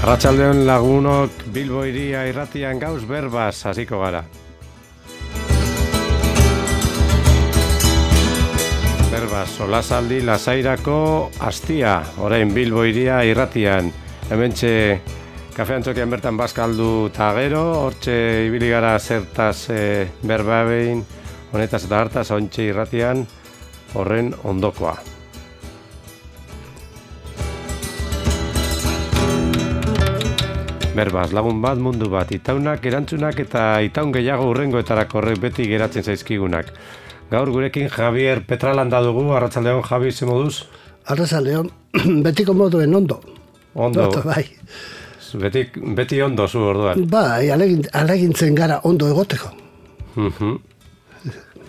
Arratsaldeon lagunok, Bilbo hiria irratian gauz berbaz hasiko gara. Berbaz, solasaldi lasairako astia, orain Bilbo hiria irratian. Hementxe kafe antzokian bertan bazkaldu eta gero, hortxe ibili gara zertaz berba behin, honetaz eta hartaz, ontxe irratian, horren ondokoa. Berbaz, lagun bat, mundu bat, itaunak, erantzunak eta itaun gehiago hurrengoetarako horrek beti geratzen zaizkigunak. Gaur gurekin Javier Petralanda dugu, arratsaldeon, Javi, ze moduz? Arratsaldeon, betiko moduen ondo. Ondo, bai. Beti ondo zu orduan. Bai, alegintzen gara ondo egoteko.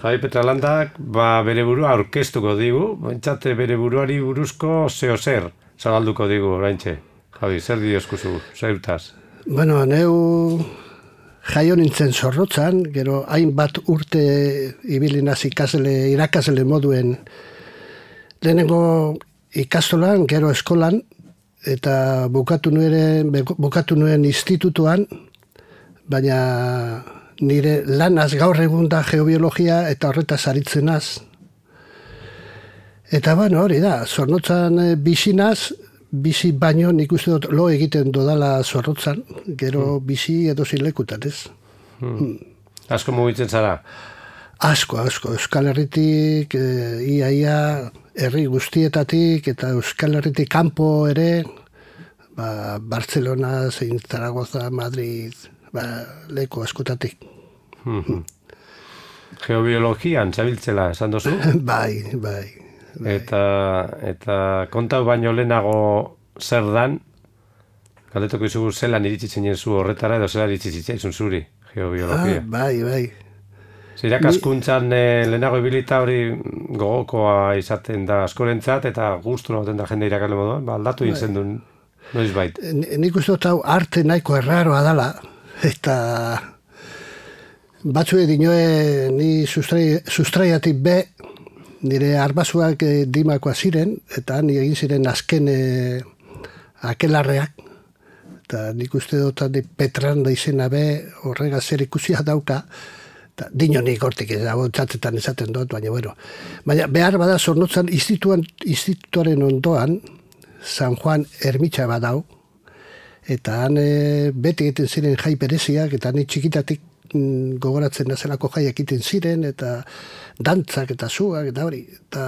Javi Petralandak bere burua aurkeztuko digu, bentsate bere buruari buruzko zer zabalduko digu oraintxe. Javi, zer dioskuzu, zeutaz? Bueno, neu jaio nintzen Zorrotzan, gero hainbat urte ibili naiz irakasle moduen lehenengo ikastolan, gero eskolan, eta bukatu nuen institutuan, baina nire lanaz gaur egun da geobiologia eta horretaz aritzenaz. Eta bueno, hori da, Zorrotzan bizi baino nik uste dut lo egiten dodala Zorrotzan, gero bizi edozein lekutan, ez? Asko mugitzen zara? Asko. Euskal Herritik, ia herri guztietatik, eta Euskal Herritik kanpo ere, Barcelona, zein Zaragoza, Madrid, leku askotatik. Geobiologian zabiltzela, esan dozu? Bai. Eta kontau baino lehenago zer dan, galdetuko izugu zelan iritsitzen zu horretara edo zelan iritsitzen zuri, geobiologia. Bai. Irakaskuntzan lehenago ibilita hori gogokoa izaten da askorentzat eta gustura baten da jende irakasle moduan, aldatu egin duen noiz bait. Nik uste dut hau arte nahiko erraroa dala, eta batzue dinoe ni sustraiatik be, nire arbasuak dimakoa ziren, eta ni egin ziren azken akelarreak, eta nik uste dut Petralanda izena be horrega zer ikusia dauka, eta dino nik hortik ez dago txatetan esaten dut, baina bueno. Baina behar bada Zornotzan institutuaren ondoan, San Juan ermitxa badau, eta han beti egiten ziren jai bereziak, eta ni txikitatik gogoratzen nazelako jaiak egiten ziren, eta dantzak eta zuak, eta hori. Eta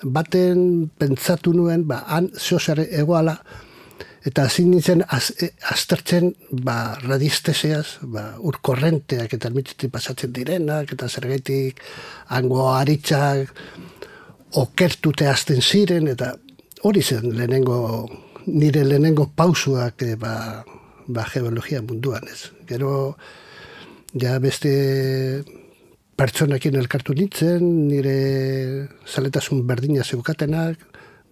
baten pentsatu nuen, han zeozare egoala, eta hasi nintzen aztertzen radiesteseaz, urkorrenteak eta ermitxetik pasatzen direnak, eta zergaitik hango aritzak okertute azten ziren, eta hori zen nire lehenengo pausuak geologia munduan, ez. Gero, ja beste pertsonekin elkartu nintzen, nire zaletasun berdina zeukatenak,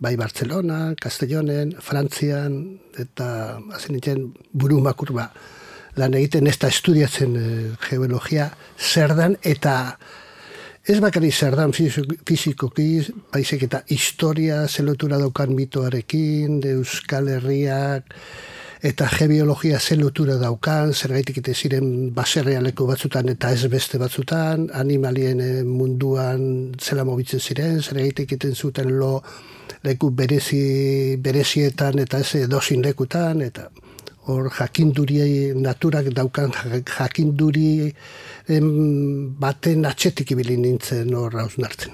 bai Barcelona, Castellonen, Frantzian, eta hasi nintzen burumakur lan egiten ez da estudiatzen geologia zer dan, eta ez bakari zer dan fizikoki, baizik eta historia zelotura daukan mitoarekin, Euskal Herriak, eta gebiologia zen lotura daukan, zergaitik ite ziren baserrealeko batzutan eta ez beste batzutan, animalien munduan zela mobitzen ziren, zergaitik iten zuten leku berezietan eta ez edozin lekutan, eta hor jakinduri naturak daukan jakinduri baten atxetik ibili nintzen hor hausnartzen.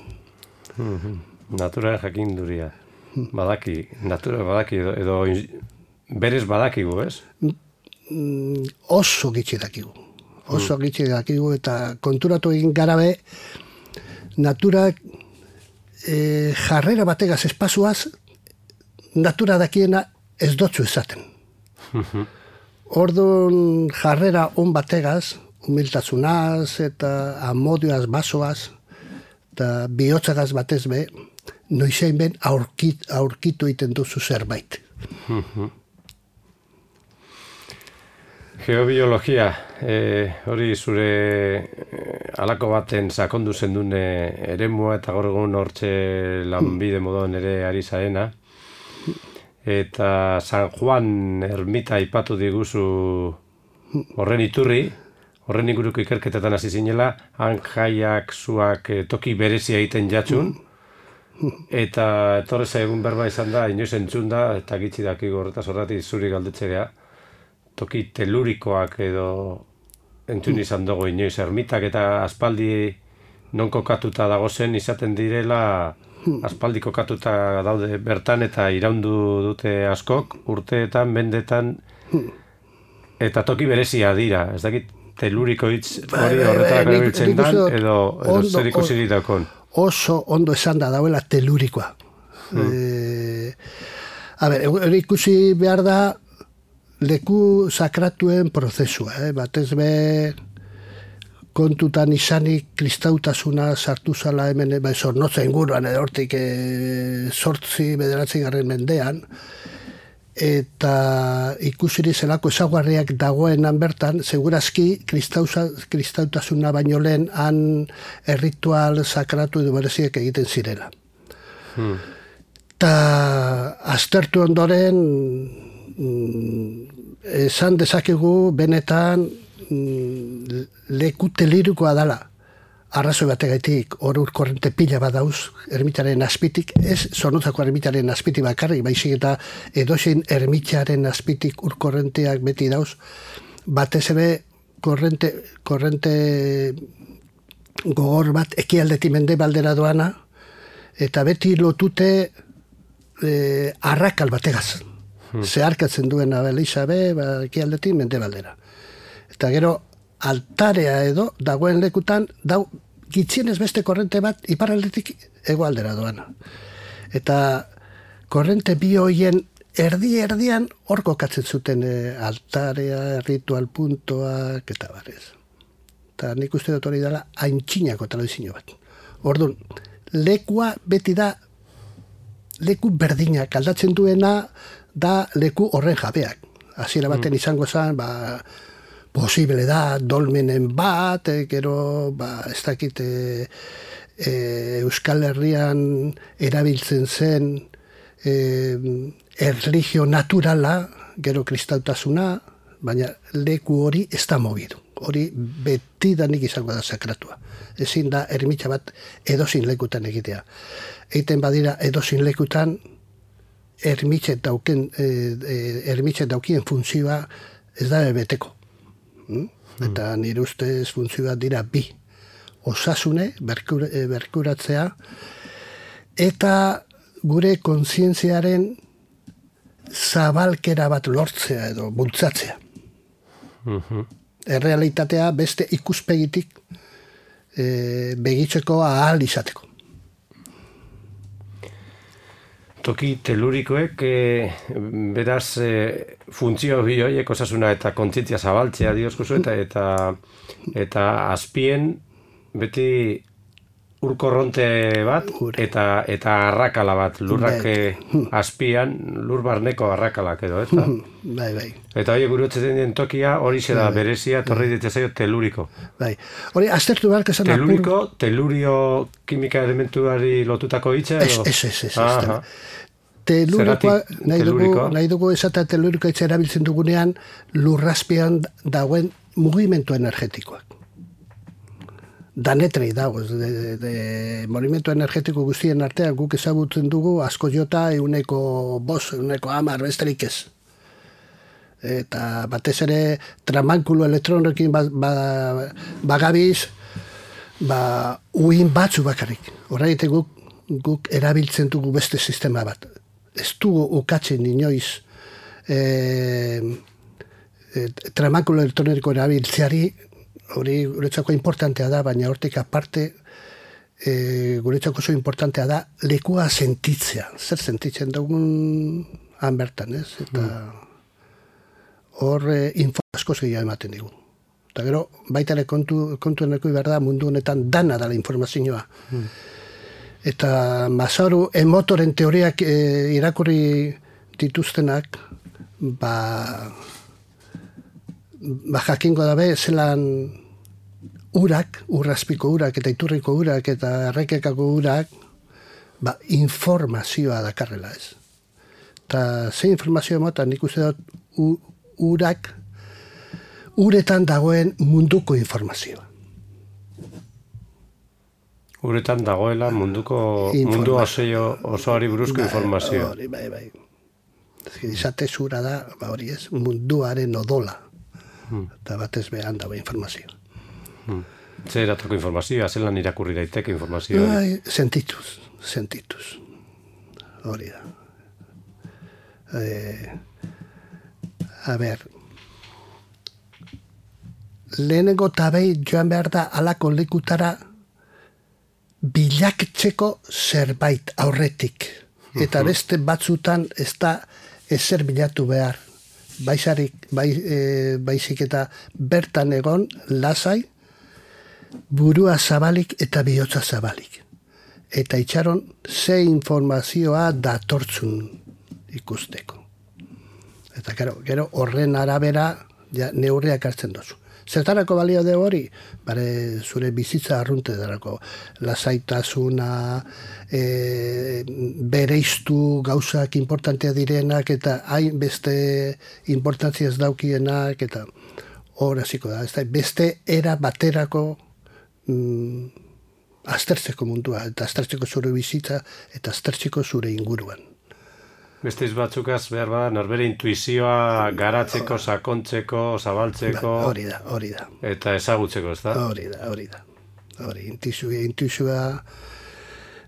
Natura jakinduria. Natura badaki edo berez badakigu, ez? Oso gitxi dakigu, eta konturatu egin garabe, naturak jarrera bategaz espasuaz, natura dakiena ez dotzu esaten. Orduan jarrera on bategaz, humiltasunaz eta amodioaz basoaz, eta bihotzagaz batez be, noizein ben aurkitu iten duzu zerbait. Geobiologia, hori zure alako baten sakondu zendun eremua eta gaur egun hortxe lanbide moduan ere ari zaena. eta San Juan ermita aipatu diguzu horren iturri, horren inguruko ikerketetan hasi zinela, han jaiak zuak toki berezia egiten jatxun, eta etorre zaigun berba izan da, inoiz entzun da, eta gitzi dakigu horretaz horretik zuri galdetzea, toki telurikoak edo entzun izan dugu inoiz, ermitak eta aspaldi non kokatuta dagozen izaten direla, aspaldi kokatuta daude bertan eta iraundu dute askok, urteetan, mendetan, eta toki berezia dira, ez dakit teluriko hitz hori horretarako erabiltzen dan, edo zer ikusi ditakon. Oso ondo esan da dauela telurikoa. Hori ikusi behar da leku sakratuen prozesua, batez be kontutan izanik kristautasuna sartu zala hemen zornotza inguruan edo hortik 8-9 mendean, eta ikusiri zelako ezaguarriak dagoenan bertan, segurazki kristautasuna baino lehen han erritual sakratu edo bereziek egiten zirela. Ta aztertu ondoren esan dezakegu benetan leku telirikoa dala. Arrazoi bategaitik hor korrente pila bat dauz ermitaren azpitik, ez Zornotzako ermitaren azpitik bakarrik, baizik eta edozein ermitaren azpitik urkorrenteak beti dauz, batez ere korrente gogor bat ekialdetik mendebaldera doana, eta beti lotute arrakal bategaz. Zeharkatzen duen abeliza ekialdetik mendebaldera. Eta gero altarea edo dagoen lekutan dau gitzienez beste korrente bat iparraldetik hegoaldera doana. Eta korrente bi hoien erdian hor kokatzen zuten altarea, ritual puntoak eta barrez. Eta nik uste dut hori dela aintzinako tradizio bat. Orduan, lekua beti da leku berdinak aldatzen duena da leku horren jabeak. Hasiera baten izango zen, posible da dolmenen bat, gero ez dakit Euskal Herrian erabiltzen zen erlijio naturala, gero kristautasuna, baina leku hori ez da mogidu. Hori beti danik izango da sakratua. Ezin da ermitxa bat edozin lekutan egitea. Eiten badira edozin lekutan ermitxe daukien funtzioa ez da beteko. Eta nire ustez funtzioa dira bi. Osasune, berkuratzea, eta gure kontzientziaren zabalkera bat lortzea edo bultzatzea. Errealitatea beste ikuspegitik begitzeko ahal izateko. Toki telurikoek beraz funtzio bi horiek osasuna eta kontzientzia zabaltzea dioskuzu eta azpien beti urkorronte bat eta arrakala bat, lurrak azpian, lur barneko arrakalak edo, ez da? Bai. Eta hori gurutzen den tokia hori da berezia, torri ditzaio teluriko. Bai, hori aztertu behar kesan teluriko, telurio kimika elementuari lotutako hitza edo? Ez. Telurikoa, nahi dugu esatea telurikoa hitza erabiltzen dugunean lurrazpian dagoen mugimendu energetikoak. Danetrei dago, movimentu energetiko guztien artean guk ezagutzen dugu asko jota 100, 110 besterik ez. Eta batez ere tramankulo elektronekin bagabiz, uin batzu bakarrik. Horregatik guk erabiltzen dugu beste sistema bat. Ez dugu ukatzen inoiz tramankulo elektroniko erabiltzeari, hori guretzako importantea da, baina hortik aparte guretzako oso importantea da lekua sentitzea. Zer sentitzen dugun han bertan, ez? Eta hor info askoz gehiago ematen digu. Eta gero, baita ere kontuen eko behar da mundu honetan dana dala informazioa. Eta Masaru emotoren teoriak irakurri dituztenak, jakingo dabe zelan urak, urrazpiko urak eta iturriko urak eta errekekako urak informazioa dakarrela ez. eta ze informazio emotan nik uste dut uretan dagoen munduko informazioa. Uretan dagoela mundu osoari buruzko informazioa. Hori, bai. Izate zura da, hori ez, munduaren odola. Eta batez behan dago informazioa. Zer eratako informazioa, zelan irakurri daiteke informazioa? Bai, sentituz. Hori da. A ber, lehenengo tabei joan behar da alako lekutara bilaketzeko zerbait aurretik. Eta beste batzutan ez da ezer bilatu behar. Baizik eta bertan egon lasai, burua zabalik eta bihotza zabalik. Eta itxaron ze informazioa datortzun ikusteko. Eta gero horren arabera neurriak hartzen dozu. Zertarako balio de hori? Bare zure bizitza arrunte darako. Lasaitasuna, bereiztu gauzak importantea direnak eta hain beste importantzia ez daukienak eta hor hasiko da. Beste era baterako aztertzeko mundua eta aztertzeko zure bizitza eta aztertzeko zure inguruan. Beste batzukaz behar bada, norbere intuizioa garatzeko, sakontzeko, zabaltzeko... Hori da. Eta ezagutzeko, ez da? Hori da. Intuizioa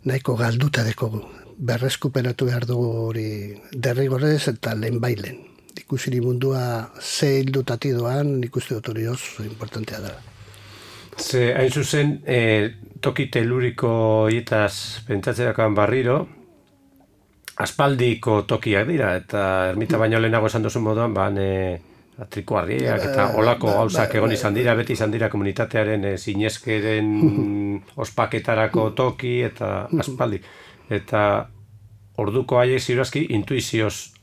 nahiko galduta dekogu. Berreskuperatu behar dugu hori derrigorrez eta lehen bailen. Ikusiri mundua ze hildutati doan, ikuste dut hori oso importantea da. Ze, hain zuzen, toki teluriko hietaz pentsatzerakoan barriro, aspaldiko tokiak dira, eta ermita baino lehenago esan duzun moduan, trikuarriak eta olako gauzak egon izan dira, beti izan dira komunitatearen zinezkeren ospaketarako toki eta aspaldi. Eta orduko haiek ziurazki intuizioz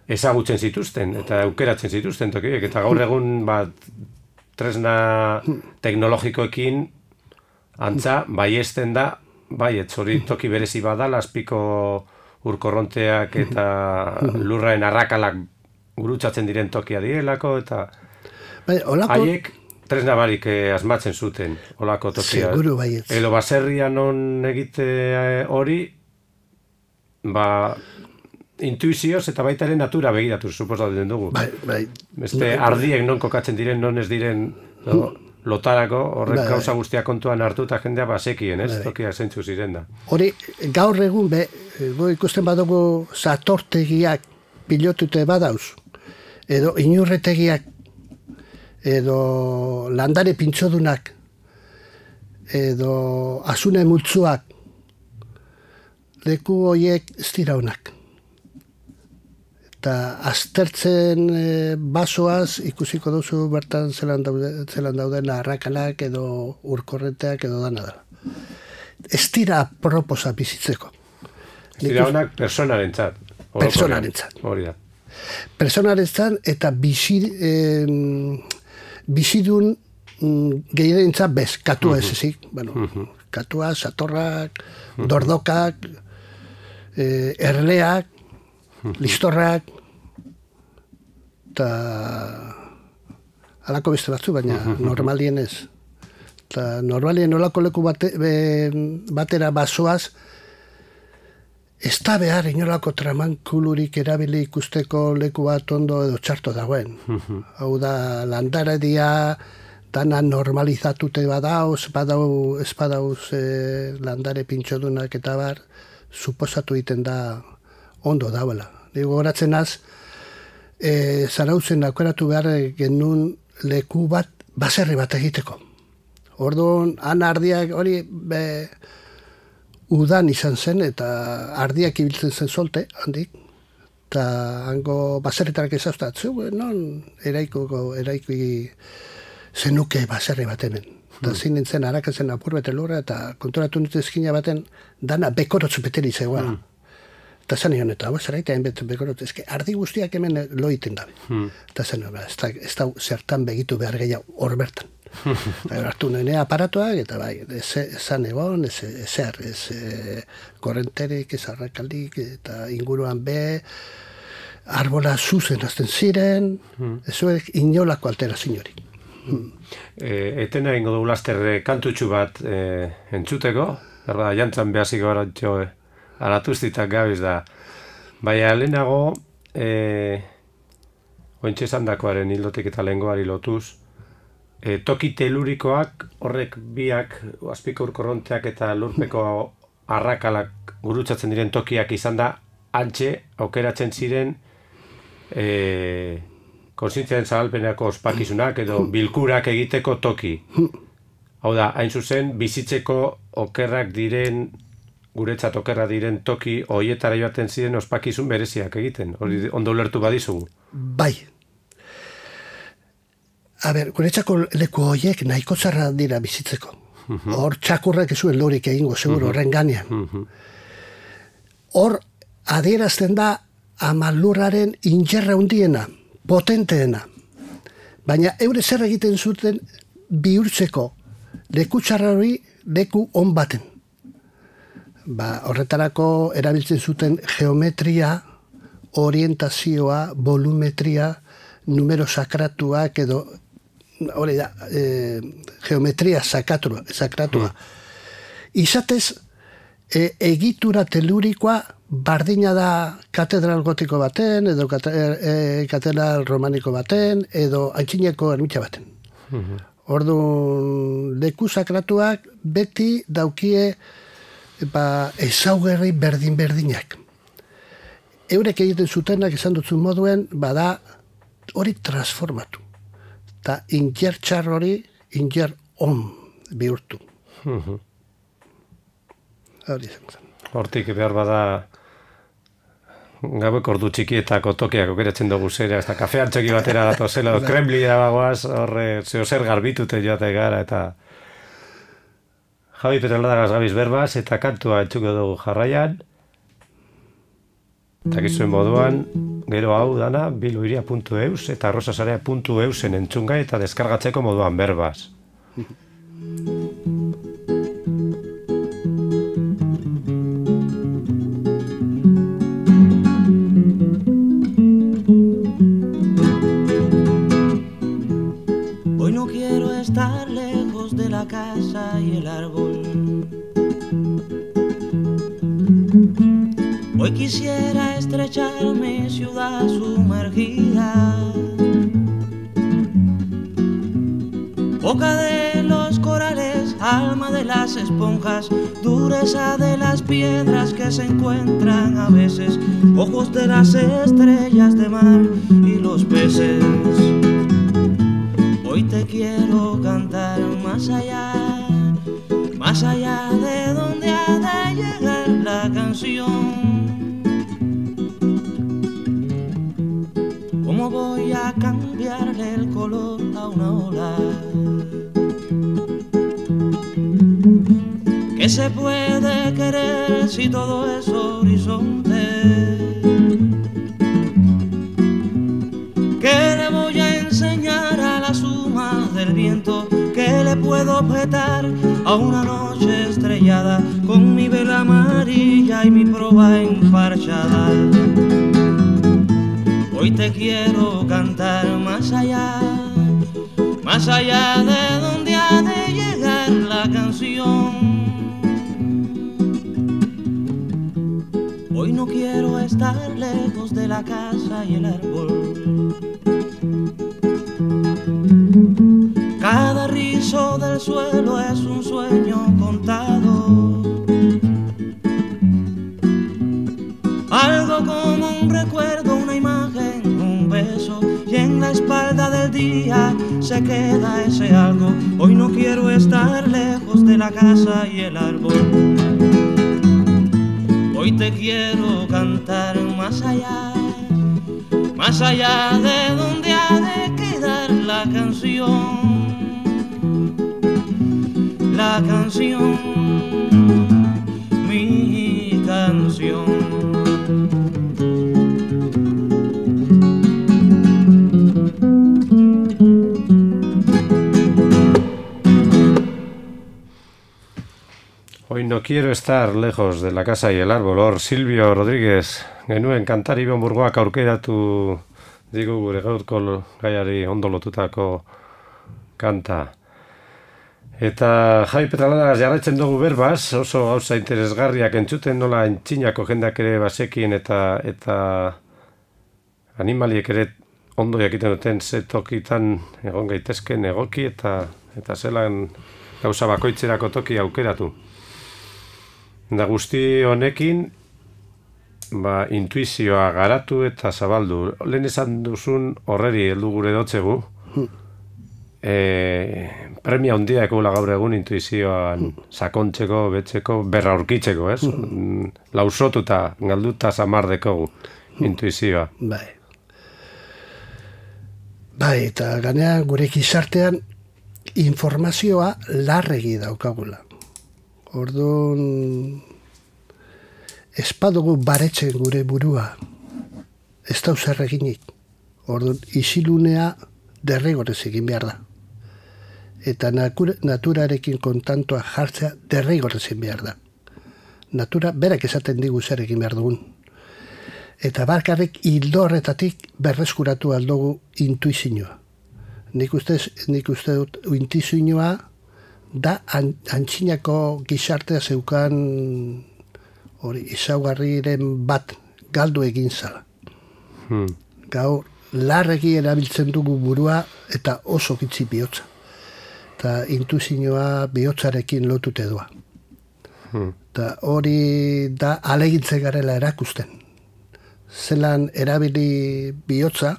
ezagutzen zituzten eta aukeratzen zituzten tokiek. Eta gaur egun tresna teknologikoekin antza baiesten da, hori toki berezi badala, azpiko urkorronteak eta lurraen arrakalak gurutzatzen diren tokia direlako, eta haiek tresna barik asmatzen zuten olako tokia. Seguru baietz. Edo baserrian non egite hori, intuizioz eta baita ere natura begiratu, suposatzen dugu. Bai. Beste ardiek non kokatzen diren, non ez diren... lotarako, horrek gauza guztia kontuan hartu eta jendea basekien, ez? Tokia zentzu ziren da. Hori, gaur egun, ikusten badugu satortegiak pilotute badauz, edo inurretegiak, edo landare pintxodunak, edo asune multzuak, leku horiek ez dira honak. Eta aztertzen basoaz ikusiko duzu bertan zelan dauden arrakalak edo urkorrenteak edo dana da. Ez dira proposa bizitzeko. Ez dira honak personarentzat. Hori da. Personarentzat eta bizidun gehierentzat bez, katua ez ezik. Katua, satorrak, dordokak, erleak, listorrak, eta alako beste batzu, baina normalien ez. Eta normalien olako leku batera basoaz, ez da behar inolako tramankulurik erabili ikusteko leku bat ondo edo txarto dagoen. Hau da, landaredia, dana normalizatute badauz, ez badauz landare pintxodunak eta bar, suposatu egiten da ondo dauela. Digo, horatzen az, Zarautzen aukeratu behar genuen leku bat, baserri bat egiteko. Orduan, han ardiak hori udan izan zen, eta ardiak ibiltzen zen solte, handik. Eta hango baserretarak ezauztatzu, non eraiki zenuke baserri bat hemen. Eta zin nintzen harakazen apur bete lurra, eta konturatu nintzen eskina baten, dana bekorotzu beteri zegoela. Eta zan egon eta, zeraita hainbetu bekorot, ardi guztiak hemen lo iten dabe. Eta zan egon, ez da zertan begitu behar gehiago hor bertan. Hartu nire aparatuak, eta bai, zan egon, ez korrenterik, ez arrakaldik, eta inguruan be, arbola zuzen azten ziren, ezuek inolako alteraziorik. Etena ingo dugu laster kantutxu bat entzuteko, berda, jantzan behaziko gara jo aratuztitak gabiz da. Baina lehenago, ointxe zandakoaren hildotik eta lehengoari lotuz, toki telurikoak horrek biak, azpiko urkorronteak eta lurpeko arrakalak gurutzatzen diren tokiak izan da, antxe aukeratzen ziren kontzientziaren zabalpeneko ospakizunak edo bilkurak egiteko toki. Hau da, hain zuzen, bizitzeko okerrak diren, guretzat okerrak diren toki hoietara joaten ziren ospakizun bereziak egiten. Hori ondo ulertu badizugu. Bai. A ber, guretzako leku horiek nahiko zarra dira bizitzeko. Hor txakurrak ez zuen lorik egingo, seguro, horren ganean. Hor adierazten da amalurraren injerra hundiena, potenteena. Baina eure zer egiten zuten bihurtzeko leku txarra hori leku on baten. Horretarako erabiltzen zuten geometria, orientazioa, volumetria, numero sakratuak edo hori da, geometria sakratua. Izatez, egitura telurikoa bardina da katedral gotiko baten, edo katedral romaniko baten, edo antxineko ermitxa baten. Orduan, leku sakratuak beti daukie ezaugarri berdin-berdinak. Eurek egiten zutenak esan dutzun moduen, bada hori transformatu. Eta injer txar hori, injer on bihurtu. Hori zen. Hortik behar bada gaueko ordu txikietako tokiak okeratzen dugu zera, ez da kafean txoki batera datozela, Kremlia bagoaz, horre zer garbitute joate gara, eta Javi Petraldagaz gabiz berbaz, eta kantua entzuko dugu jarraian, eta gizuen moduan, gero hau dana, biloiria.eus eta arrosasarea.eusen entzungai eta deskargatzeko moduan berbaz. Casa y el árbol. Hoy quisiera estrechar mi ciudad sumergida, boca de los corales, alma de las esponjas, dureza de las piedras que se encuentran a veces, ojos de las estrellas de mar y los peces. Hoy te quiero cantar más allá de donde ha de llegar la canción. ¿Cómo voy a cambiarle el color a una ola? ¿Qué se puede querer si todo es horizonte? ¿Qué le voy a enseñar a la suma del viento? ¿Qué le puedo objetar a una noche estrellada con mi vela amarilla y mi proa enfarchada? Hoy te quiero cantar más allá de donde ha de llegar la canción. Hoy no quiero estar lejos de la casa y el árbol. Cada rizo del suelo es un sueño contado, algo como un recuerdo, una imagen, un beso, y en la espalda del día se queda ese algo. Hoy no quiero estar lejos de la casa y el árbol. Hoy te quiero cantar más allá de donde ha de quedar la canción. La canción, mi canción. no quiero estar lejos de la casa y el árbol, hor Silvio Rodríguez, genuen kantari Burgoak aurkeratu digu gure gaurko gaiari ondo lotutako kanta. Eta Javi Petralada jarraitzen dugu berbaz, oso gauza interesgarriak entzuten nola entxinako jendak ere basekin eta animaliek ere ondo jakiten duten tokitan egon gaitezken egoki eta zelan gauza bakoitzerako toki aukeratu. Da guzti honekin intuizioa garatu eta zabaldu. Lehen esan duzun horreri heldu gure dotzegu. Premia handia ekula gaur egun intuizioan sakontzeko, betzeko, berra aurkitzeko, ez? Lausotuta, galduta samardeko intuizioa. Bai, eta ganean gure gizartean informazioa larregi daukagula. Orduan, ez badugu baretzen gure burua, ez da zer eginik. Orduan, isilunea derrigorrez egin behar da. Eta naturarekin kontantua jartzea derrigorrez egin behar da. Natura berak esaten digu zer egin behar dugun. Eta barkarrik hildo horretatik berreskuratu aldugu intuizioa. Nik uste dut intuizioa da antxinako gizartea zeukan izaugarriren bat galdu egin zala. Gaur larregi erabiltzen dugu burua eta oso gitzi bihotza. Eta intuizioa bihotzarekin lotute doa. Eta hori da alegintzen garela erakusten. Zelan erabili bihotza,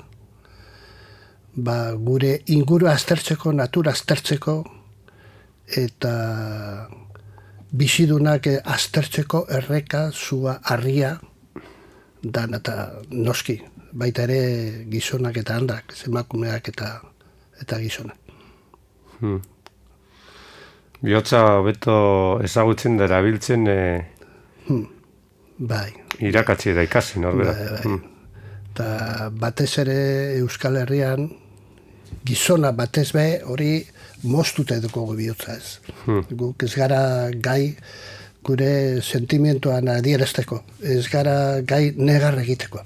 gure inguru aztertzeko, natura aztertzeko, eta bizidunak aztertzeko erreka, zua, harria, dan eta noski, baita ere gizonak eta handak, emakumeak eta gizonak. Bihotza hobeto ezagutzen da erabiltzen bai. Irakatsi eta ikasi, norbera. Eta batez ere Euskal Herrian, gizona batez be hori moztuta eduko bihotza ez. Guk ez gara gai gure sentimentuan adierazteko, ez gara gai negar egiteko.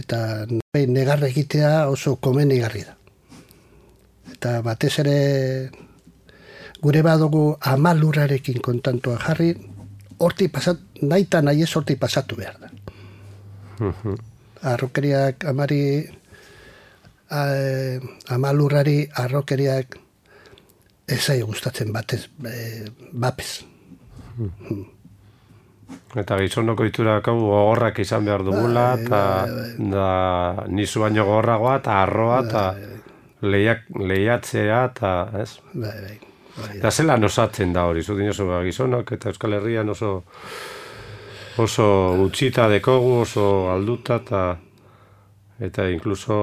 Eta negar egitea oso komenigarri da. Eta batez ere gure badugu amalurrarekin kontantua jarri, horti nahi eta nahi ez horti pasatu behar da. Arrokeriak amalurrari arrokeriak ezai gustatzen batez, bapez. Eta gizonoko iturak hau gogorrak izan behar dugula, eta nizu baino gogorragoa, eta arroa, eta lehiatzea, eta ez? Bai. Eta zelan osatzen da hori, zudin oso gizonok, eta Euskal Herrian oso utxita dekogu, oso alduta, eta inkluso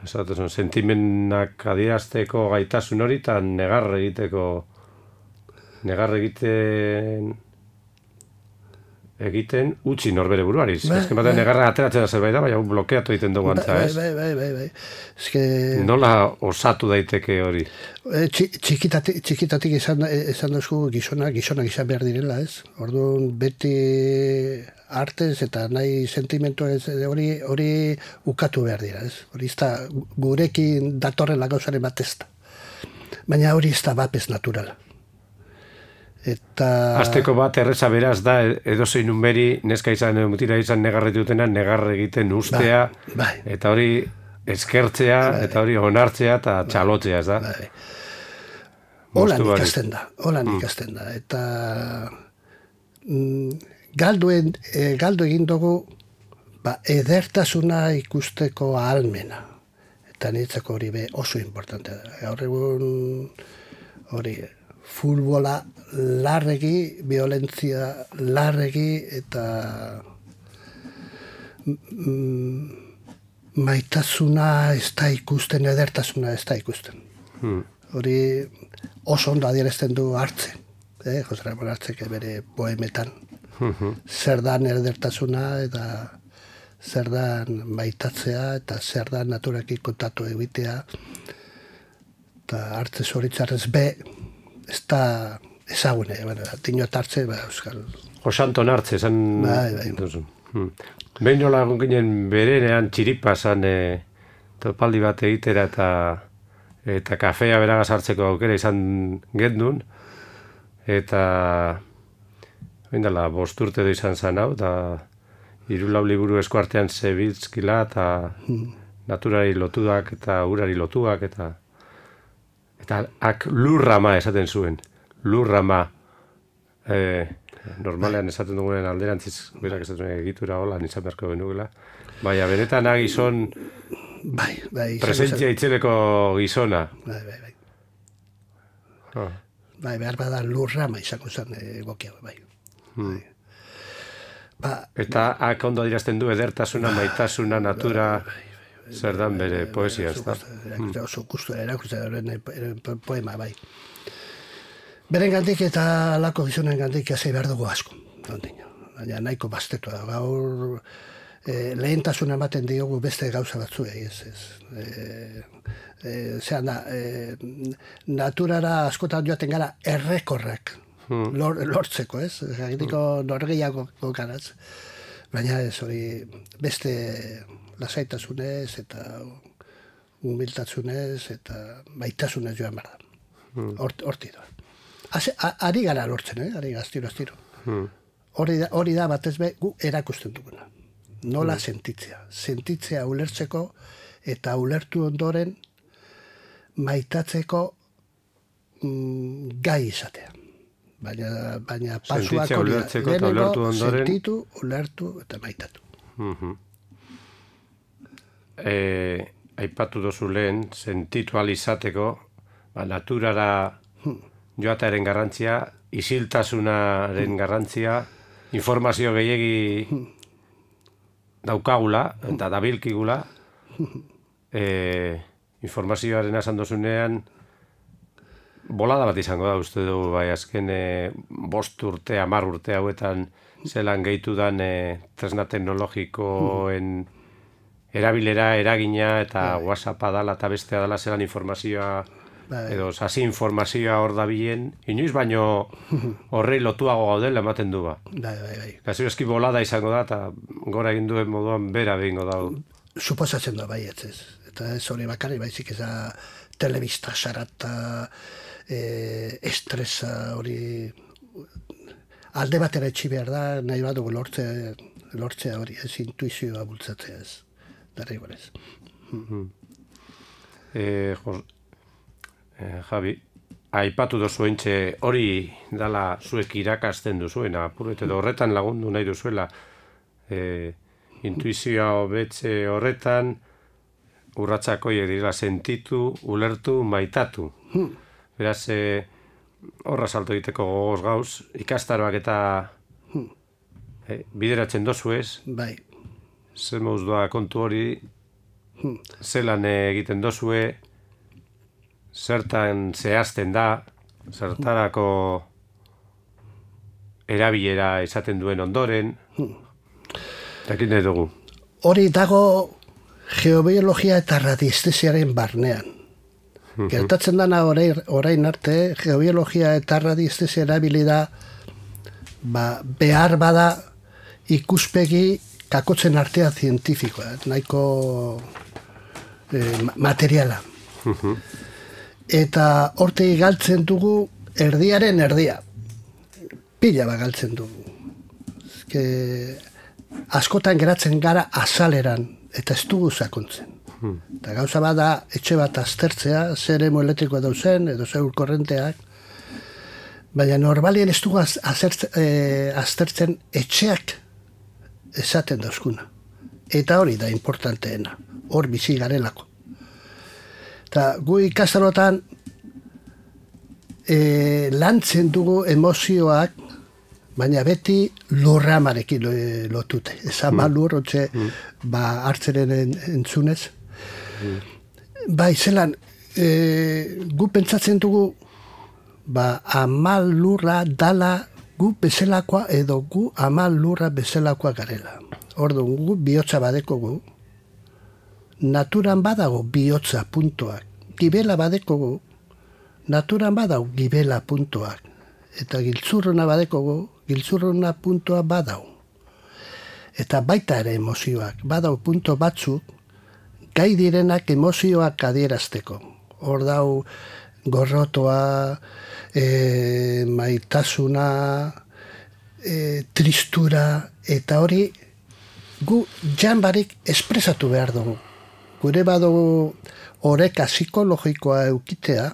sentimenak adierazteko gaitasun hori, eta negar egiten utzi norbere buruari. Ezken batean negarra ateratzen da zerbait da, baina blokeatu egiten dugu antza, ez? Bai. Nola osatu daiteke hori? Txikitatik esan duzku gizonak izan behar direla, ez? Orduan beti artez eta nahi sentimentua hori ukatu behar dira, ez? Hori ez da gurekin datorrela gauzaren bat ez da. Baina hori ez da bapez naturala. Azteko bat erreza beraz da, edozein unberi, neska izan, mutila izan negarretu dutena, negarre egiten ustea, eta hori eskertzea, eta hori onartzea, eta txalotzea, ez da? Holan ikasten da, eta galdu egin dugu edertasuna ikusteko ahalmena, eta niretzako hori oso importante da. Gaur egun hori futbola larregi, violentzia larregi, eta maitasuna ez da ikusten, edertasuna ez da ikusten. Hori oso ondo adierazten du Hartze, Jose Ramon Hartzek bere poemetan. Zer dan edertasuna, eta zer dan maitatzea, eta zer dan naturakin kontatu egitea. Eta Hartze zoritzarrez ez da ezagune, dinot hartze, euskal. Osanton hartze, esan... Bai. Behin nola ginen berenean txiripa zan topaldi bat egitera eta kafea beragaz hartzeko aukera izan gendun, eta bindala, 5 urte izan zan hau, eta 3-4 liburu eskuartean zebiltzkila, eta naturari lotuak eta urari lotuak, eta lurrama esaten zuen. Lurrama. Normalean esaten dugunen alderantziz, berak esaten egitura hola, izan beharko benugela. Baina, benetan gizon presentzia itzeleko gizona. Bai, behar bada lurrama izango zen egokia, bai. Eta ondo adirazten du edertasuna, maitasuna, natura, zer dan bere poesia, ez da? Oso kustura erakusten poema, bai. Beren gandik eta lako gizonen gandik jazei behar dugu asko. Baina nahiko bastetua. Gaur lehentasuna ematen diogu beste gauza batzuei. Zeran da, naturara askotan joaten gara errekorrak lortzeko, ez? Gagitiko norgeiago garaz. Baina ez hori beste lasaitasunez eta humiltasunez eta maitasunez joan behar da. Horti doa. Ari gara lortzen, ari gaztiro. Hori da batez be gu erakusten duguna. Nola sentitzea. Sentitzea ulertzeko eta ulertu ondoren maitatzeko gai izatea. Baina pasuak hori da. Lehenengo sentitu, ulertu eta maitatu. Aipatu dozu lehen, sentitu alizateko, naturara joatearen garrantzia, isiltasunaren garrantzia, informazio gehiegi daukagula, eta dabilkigula, informazioaren esan dozunean, bolada bat izango da, uste du, bai, azken 5 urte, 10 urte hauetan, zelan gehitu dan tresna teknologikoen erabilera, eragina, eta WhatsAppa dala eta bestea dala zelan informazioa, edo sasi informazioa hor da bilen, inoiz baino horrei lotuago gaudela ematen du ba. Gazi eski bolada izango da, eta gora egin duen moduan bera behingo da. Suposatzen da, bai, ez. Eta ez hori bakarri, baizik ez da telebista sarata, estresa hori alde batera etxi behar da, nahi badugu lortzea hori, ez intuizioa bultzatzea ez. Darri gorez. Javi, aipatu dozu entxe hori dala zuek irakasten duzuena, apuret edo horretan lagundu nahi duzuela, intuizioa hobetze horretan, urratsak horiek dira sentitu, ulertu, maitatu. Beraz, horra salto egiteko gogoz gauz, ikastaroak eta bideratzen dozu ez? Bai. Zer mauz doa kontu hori, zelan egiten dozue, zertan zehazten da, zertarako erabilera izaten duen ondoren, jakin nahi dugu. Hori dago geobiologia eta radiestesiaren barnean. Gertatzen dana orain arte, geobiologia eta radiestesia erabili da behar bada ikuspegi kakotzen artea zientifikoa, nahiko materiala. Eta hortegi galtzen dugu erdiaren erdia. Pila bat galtzen dugu. Askotan geratzen gara azaleran, eta ez dugu sakontzen. Eta gauza bada etxe bat aztertzea, zer emu elektrikoa dauzen, edo zer korrenteak, baina normalien ez dugu aztertzen etxeak esaten dauzkuna. Eta hori da importanteena, hor bizi garelako. Eta gu ikastarotan lantzen dugu emozioak, baina beti lurramarekin lotute. Ez ama lur, hotxe, hartzeren entzunez. Bai, zelan, gu pentsatzen dugu, amal lurra dala gu bezalakoa edo gu amal lurra bezalakoa garela. Orduan, gu bihotza badeko gu, naturan badago bihotza puntoak. Gibela badeko gu, naturan badago gibela puntoak. eta giltzurruna badekogu, giltzurruna puntua badau. Eta baita ere emozioak, badau punto batzuk, gai direnak emozioak adierazteko. Hor dau gorrotoa, maitasuna, tristura, eta hori gu janbarik espresatu behar dugu. Gure badugu oreka psikologikoa eukitea,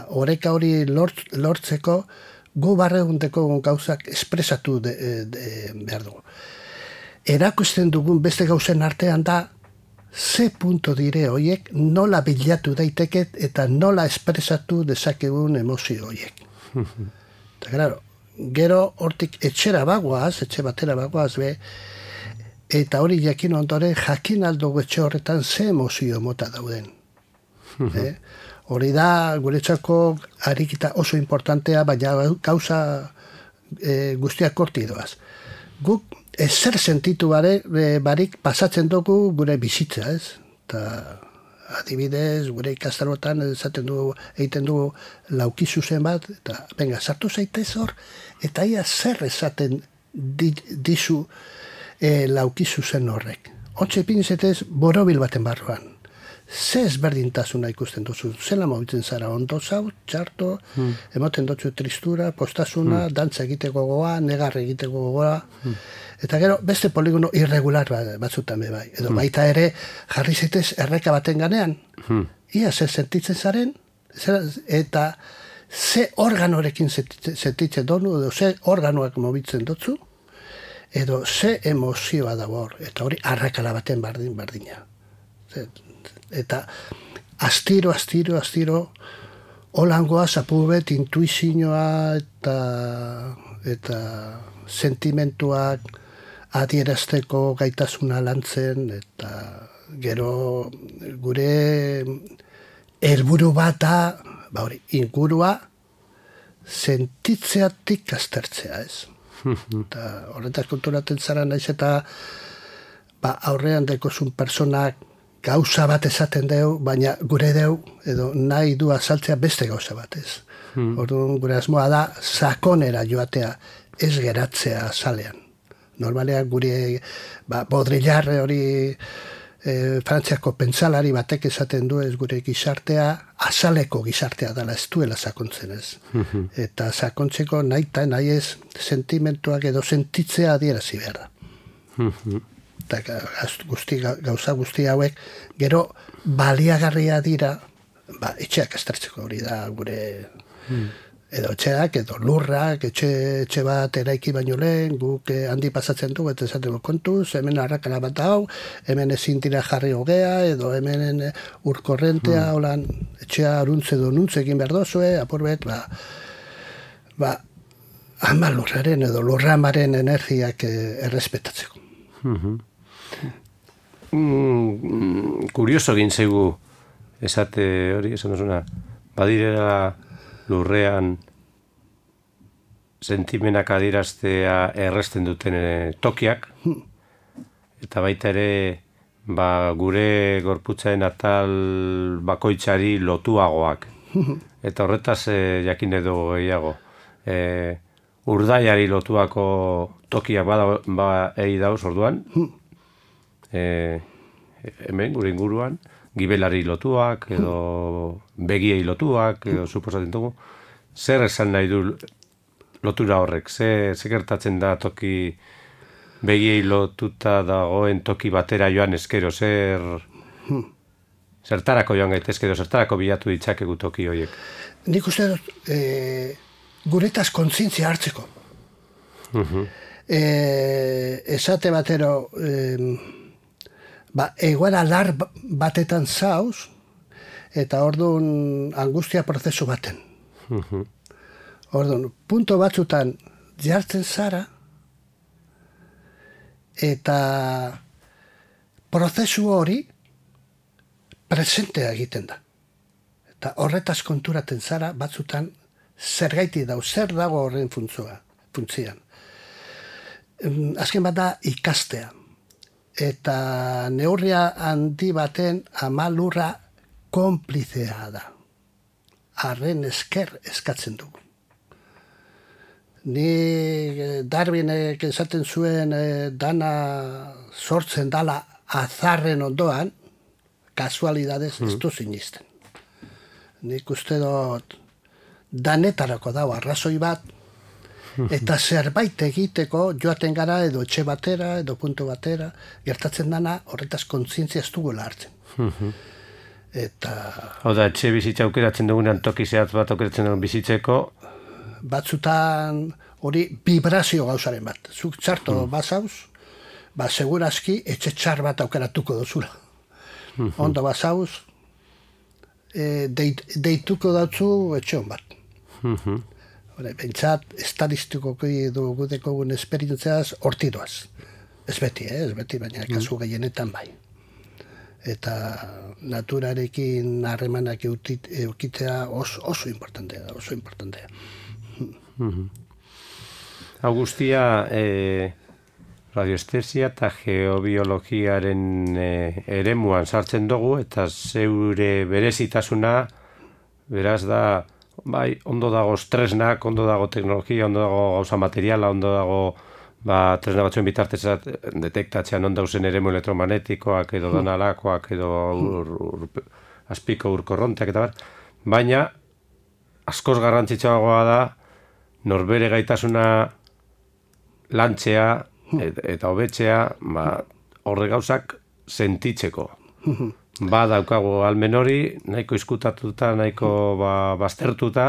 oreka hori lortzeko gu barregundeko gauzak espresatu behar dugu. Erakusten dugun beste gauzen artean da, ze punto dire horiek nola bilatu daiteket eta nola espresatu dezakegun emozio horiek. Eta claro, gero hortik etxe batera bagoaz eta hori jakin ondoren jakin aldugu etxe horretan ze emozio mota dauden. Hori da guretzako arikita oso importantea, baina gauza guztiak horti doaz. Guk ezer sentitu barik pasatzen dugu gure bizitza, ez? Eta adibidez, gure ikastarotan egiten dugu lauki zuzen bat, eta venga, sartu zaitez hor, eta ia zer esaten dizu lauki zuzen horrek. Ontxe pinzetez borobil baten barruan. Ze ezberdintasuna ikusten duzu, zela mobitzen zara, ondo zau, txarto, emoten dutzu tristura, postasuna, dantza egiteko gogoa, negar egiteko gogoa, eta gero beste poligono irregular batzutan bai. Edo baita ere jarri zaitez erreka baten ganean, ia ze sentitzen zaren, eta ze organorekin sentitzen donu, edo ze organoak mobitzen dutzu, edo ze emozioa dago hor, eta hori arrakala baten bardina. Eta astiro, holangoa zapubet intuizioa eta sentimentuak adierazteko gaitasuna lantzen, eta gero gure helburu bat da, ingurua sentitzeatik aztertzea, ez? Eta horretaz konturatzen zara naiz eta aurrean dekozun personak gauza bat esaten deu, baina gure deu, edo nahi du azaltzea beste gauza batez. Orduan gure asmoa da sakonera joatea, ez geratzea azalean. Normalean gure Baudrillard hori Frantziako pentsalari batek esaten du ez gure gizartea, azaleko gizartea dela, ez duela sakontzen ez. Eta sakontzeko nahi ez sentimentuak edo sentitzea adierazi behar da. Eta gauza guzti hauek gero baliagarria dira etxeak aztertzeko, hori da gure edo etxeak, edo lurrak, etxe bat eraiki baino lehen, guk handi pasatzen du, eta esateko kontuz, hemen arrakala bat hau, hemen ezin dira jarri hogea, edo hemen urkorrentea, holan, etxea aruntze edo nuntze egin behar dozue, apurbet, ama lurraren edo lurramaren energiak errespetatzeko. Kurioso egin zaigu esate hori, esan duzuna, badirela lurrean sentimenak adieraztea erresten duten tokiak, eta baita ere gure gorputzaren atal bakoitzari lotuagoak. Eta horretaz jakin edo gehiago. Urdaiari lotuako tokiak egi dauz orduan, hemen gure inguruan, gibelari lotuak, edo begiei lotuak, edo suposatzen dugu. Zer esan nahi du lotura horrek? Ze gertatzen da toki begiei lotuta dagoen toki batera joan eskero? Zertarako joan gaitezke edo zertarako bilatu ditzakegu toki horiek? Nik uste dut guretaz kontzientzia hartzeko. Esate batero egoera lar batetan zauz eta orduan angustia prozesu baten. Orduan, punto batzutan jartzen zara eta prozesu hori presentea egiten da. Eta horretaz konturaten zara batzutan zergaiti dau, zer dago horren funtzian. Azken bat da ikastea. Eta neurria handi baten ama lurra konplizea da. arren esker eskatzen dugu. Ni Darwinek esaten zuen dana sortzen dala azarren ondoan, kasualidadez ez du sinisten. Nik uste dut danetarako dago arrazoi bat, eta zerbait egiteko joaten gara edo etxe batera, edo puntu batera, gertatzen dana horretaz kontzientzia ez dugula hartzen. Eta... Hau da, etxe bizitza aukeratzen dugunean toki zehatz bat aukeratzen dugun bizitzeko, batzutan hori vibrazio gauzaren bat. Zuk txarto bazauz, segurazki etxe txar bat aukeratuko dozula. Ondo bazauz, deituko datzu etxe hon bat. Bentsat, estadistikoki dugu dekogun esperientziaz hortidoaz. Ez beti, baina kasu gehienetan bai. Eta naturarekin harremanak eukitzea oso importantea. Augustia, radioestesia eta geobiologiaren eremuan sartzen dugu, eta zeure berezitasuna, beraz da, bai, ondo dago tresnak, ondo dago teknologia, ondo dago gauza materiala, ondo dago tresna batzuen bitartez detektatzean ondo dauzen eremu elektromagnetikoak, edo donalakoak, edo azpiko urkorronteak, eta baina, askoz garrantzitsuagoa da, norbere gaitasuna lantzea eta hobetzea horre gauzak sentitzeko. Daukagu almen hori, nahiko izkutatuta, nahiko baztertuta,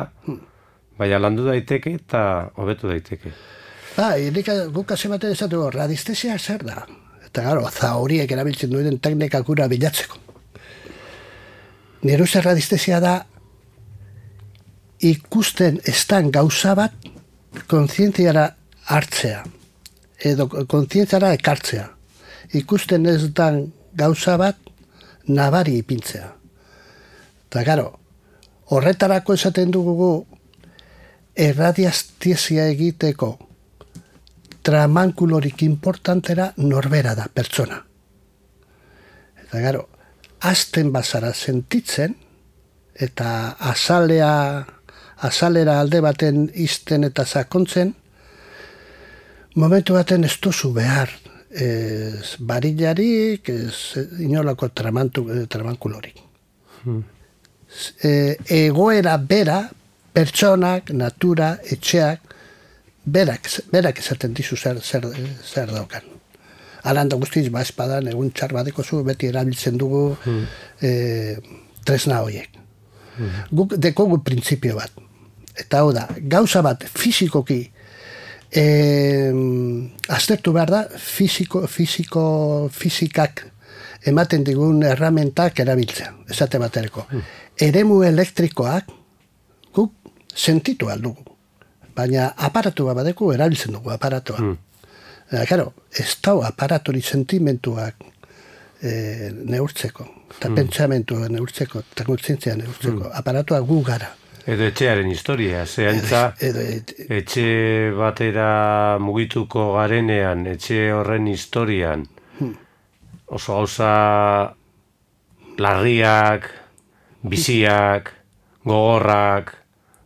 baina landu daiteke eta hobetu daiteke. Guk hasi batean esatu, radiestesia zer da? Eta gero, zauriek erabiltzen duen teknikak gura bilatzeko. Nire uste radiestesia da ikusten estan gauza bat kontzientziara hartzea, edo kontzientziara ekartzea. Ikusten ez dan gauza bat nabari ipintzea. Eta gero, horretarako esaten dugu erradiestesia egiteko tramankulorik importantera norbera da, pertsona. Eta gero, hasten bazara sentitzen, eta azalera alde baten izten eta sakontzen, momentu baten ez duzu behar barillarik, inolako tramankulorik. Egoera bera, pertsonak, natura, etxeak, berak esaten dizu zer daukan. Alanda guztiz, espadan, egun txar badeko zu, beti erabiltzen dugu tresna horiek. Guk dekogu printzipio bat. Eta hau da, gauza bat fizikoki aztertu behar da, fizikak ematen digun erramentak erabiltzea, esate batereko. Eremu elektrikoak guk sentitu aldugu. Baina aparatu bat badeku erabiltzen dugu aparatua. Claro, ez dau aparatori sentimentuak neurtzeko, eta pentsamentua neurtzeko, eta kontzientzia neurtzeko. Aparatua gu gara. Edo etxearen historia, zehantza etxe batera mugituko garenean, etxe horren historian, oso gauza larriak, biziak, gogorrak,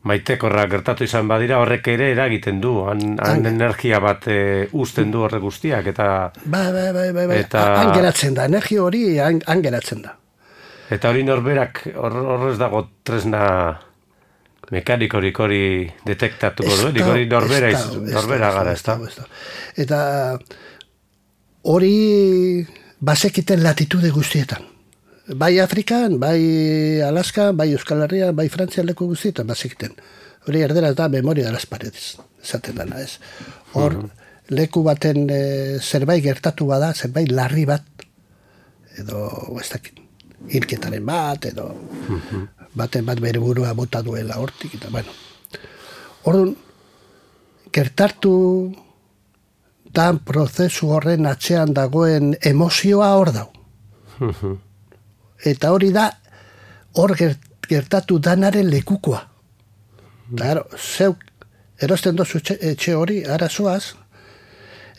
maitekorrak gertatu izan badira, horrek ere eragiten du, han energia bat uzten du horrek guztiak, eta... Bai, han geratzen da, energia hori han geratzen da. Eta hori norberak, horrez dago tresna mekanikorik hori detektatuko duen, hori norbera gara, ez da? Eta hori bazekiten latitude guztietan. Bai Afrikan, bai Alaskan, bai Euskal Herrian, bai Frantzian leku guztietan bazekiten. Hori erderaz da memoria de las paredes, esaten dana, ez? Hor, leku baten zerbait gertatu bada, zerbait larri bat, edo, ez dakit, hilketaren bat, edo baten bat bere burua bota duela hortik, eta, bueno. Orduan, gertatu dan prozesu horren atzean dagoen emozioa hor dau. Eta hori da, hor gertatu danaren lekukoa. Claro, zeuk erosten dozu etxe hori, arazoaz,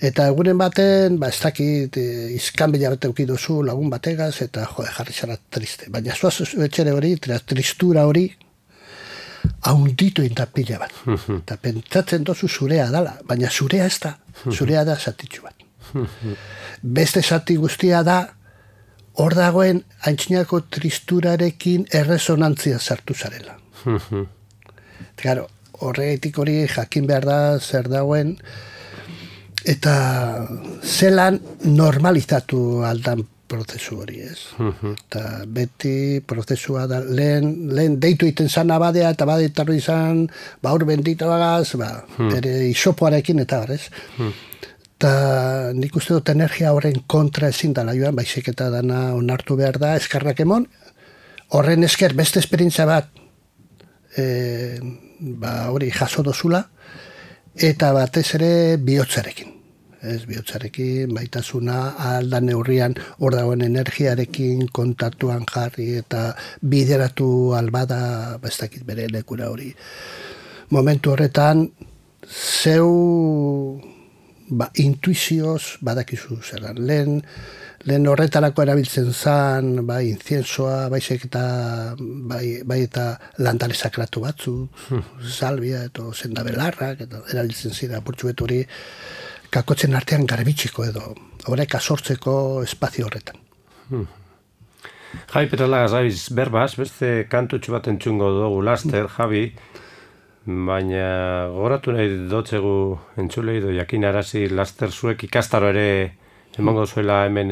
eta egunen baten, ez dakit, izkanbila bat euki duzu lagun bategaz, eta jarri zara triste. Baina zuaz etxere hori, tristura hori, haunditu inda pila bat. Eta pentsatzen dozu zurea dala, baina zurea ez da, zurea da zatitxu bat. Beste zati guztia da, hor dagoen aintzinako tristurarekin erresonantzia sartu zarela. Claro, horregatik hori jakin behar da zer dagoen, eta zelan normalizatu aldan prozesu hori, ez? Eta beti prozesua da, lehen deitu iten zan abadea, eta badetarro izan, hor bendito bagaz, bere isopoarekin eta bar, ez? Eta nik uste dut energia horren kontra ezin dala joan, baizik eta dana onartu behar da, eskarrak emon, horren esker beste esperientzia bat, hori jaso dozula, eta batez ere bihotzarekin. Ez bihotzarekin, baitasuna, alda neurrian hor dagoen energiarekin kontatuan jarri eta bideratu albada, ez dakit bere lekura hori. Momentu horretan, zeu intuizioz badakizu zelan. Lehen horretarako erabiltzen zan, inciensoa, baizik eta bai eta landare sakratu batzu, salbia eta zendabelarrak, eta erabiltzen zira apurtxuet hori, kakotzen artean garbitxiko edo, horrek asortzeko espazio horretan. Javi Petralagaz gabiz berbaz, beste kantutxu bat entzungo dugu laster, Javi, baina goratu nahi dotzegu entzulei do jakin arazi laster zuek ikastaro ere emango zuela hemen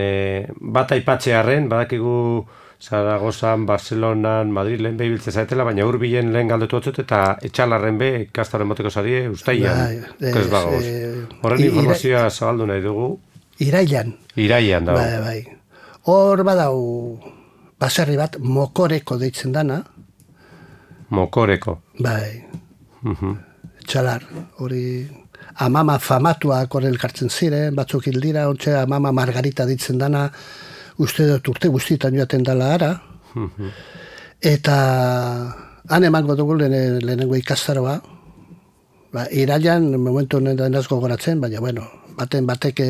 bat aipatzearren, badakigu Zaragozan, Barcelonan, Madrilen behibiltze zaetela, baina hurbilen lehen galdetu batzut eta etxalarren be ikastaro emoteko zarie ustaian, ez bagoz. Horren informazioa zabaldu nahi dugu. Irailan. Irailan dago. Bai. Hor badau baserri bat, Mokoreko deitzen dana. Mokoreko. Bai. Etxalar, hori amama famatuak hor elkartzen ziren, batzuk hil dira, ontxe amama Margarita ditzen dana, uste dut urte guztietan joaten dala ara, eta han emango dugu lehenengo ikastaroa, irailan, momentu honetan ez gogoratzen, baina bueno, batek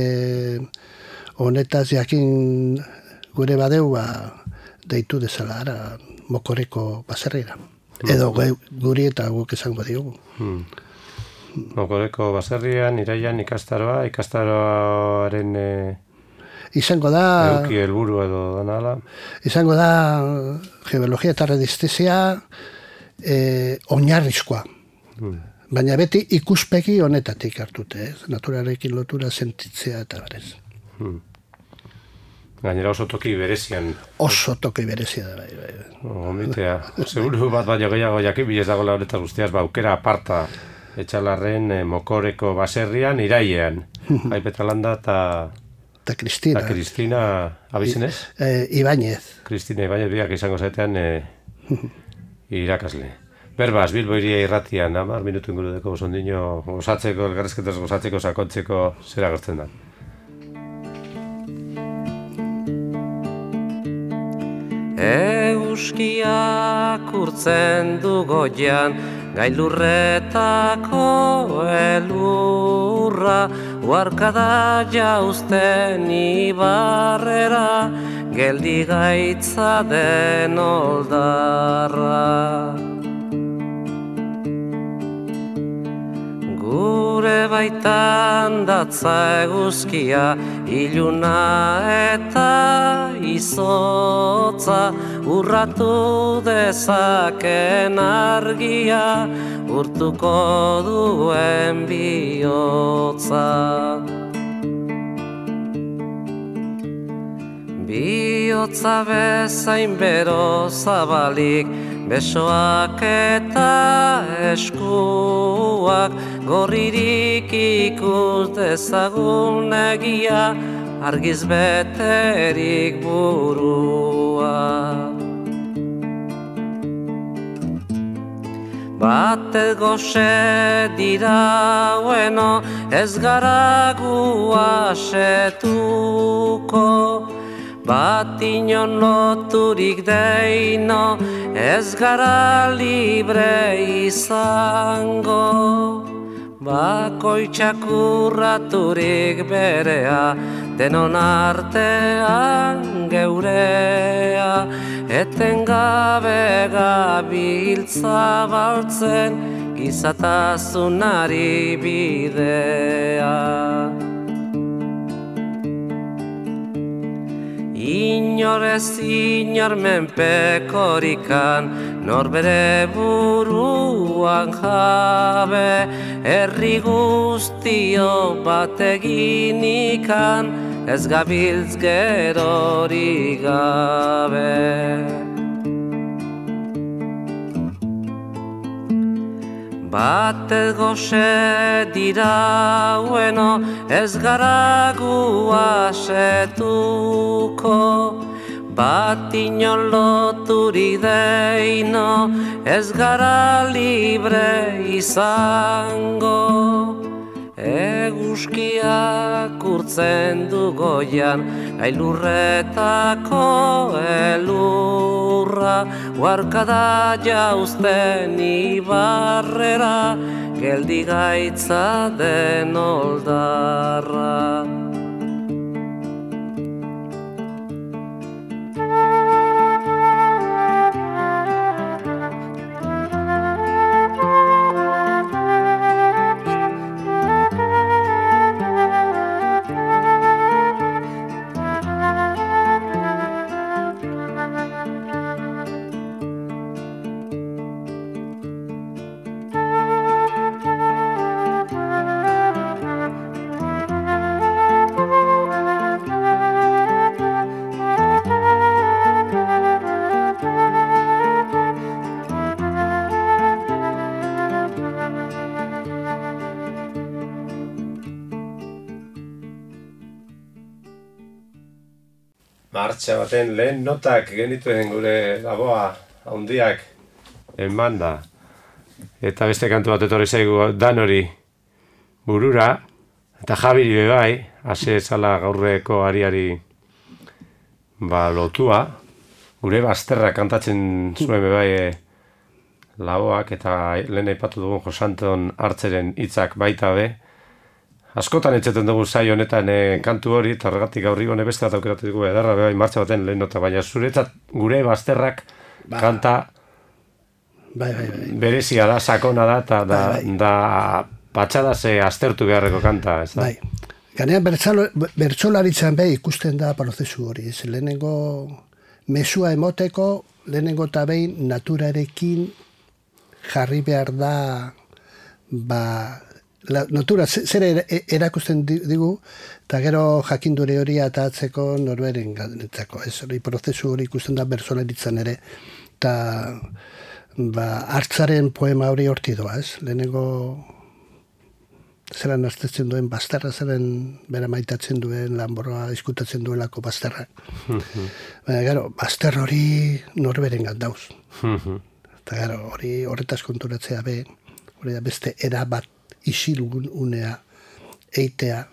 honetaz jakin gure badeu, deitu dezala ara, Mokoreko baserrira. Edo guri eta guk esango diogu. Mokoreko baserrian, irailan ikastaroaren izango da eduki helburu edo danala. Izango da geologia eta radiestesia oinarrizkoa. Baina beti ikuspegi honetatik hartute, naturarekin lotura sentitzea eta barez. Gainera oso toki berezian. Oso toki berezia da, bai. Omitea. Seguru bat baino gehiago jakin bilez dago lauretaz guztiaz, aukera aparta etxalarren Mokoreko baserrian, irailean. Bai Petralanda eta Cristina abizenez? Ibáñez. Cristina Ibáñez biak izango zaitean irakasle. Berbaz, Bilbo iria irratian, 10 minutu ingurudeko osondino gozatzeko, elgarrezketaz gozatzeko, sakontzeko, zera gertzen da. Euskiak urtzen du goian, gailurretako elurra, uarkada jauzten ibarrera, geldi gaitza den oldarra. Gure baitan datza eguzkia, iluna eta izotza, urratu dezaken argia, urtuko duen bihotza. Bihotza bezain bero zabalik, besoak eta eskuak, gorririk ikus dezagun egia, argiz beterik burua. Batez goxe dira bueno, ez gara gu asetuko, bat inon loturik deino, ez gara libre izango. Bakoitzak urraturik berea, denon artean geurea, etengabe gabiltza baltzen gizatasunari bidea. Inorez inor menpekorikan, norbere buruan jabe, herri guztio bateginikan, ez gabiltz gerorik gabe. Batez goxe dira ueno, ez gara gu asetuko, bat inon loturik deino, ez gara libre izango. Eguzkiak urtzen du goian, gailurretako elurra, huarkada jauzten ibarrera, geldi gaitza den oldarra. Martxa baten lehen notak genituen gure laboa handiak emanda. Eta beste kantu bat etorri zaigu Danori burura. Eta Jabiri bebai, hase zala gaurreko ariari lotua. Gure bazterra kantatzen zuen bebai laboak eta lehen aipatu dugun Josanton Hartzeren hitzak baita be. Askotan entzeten dugu saio honetan kantu hori, eta horregatik gaur igone beste bat aukeratu dugu edarra bebai martxa baten lehen nota, baina zuretzat gure bazterrak kanta berezia da, sakona da, eta da patxada ze aztertu beharreko kanta, ez da? Bai, ganean bertsolaritzan ikusten da prozesu hori, ez lehenengo mesua emoteko, lehenengo eta behin naturarekin jarri behar da, natura zer erakusten digu, eta gero jakindure hori atatzeko norberen ganetzako. Ez hori prozesu hori ikusten da bertsolaritzan ere, eta Hartzaren poema hori horti doa, ez? Lehenengo zelan aztertzen duen bazterra, zelan bera maitatzen duen lanborroa diskutatzen duelako bazterrak. Baina gero, bazter hori norberen gandauz. Eta gero, hori horretaz konturatzea be, hori da beste erabat isilgun unea eitea,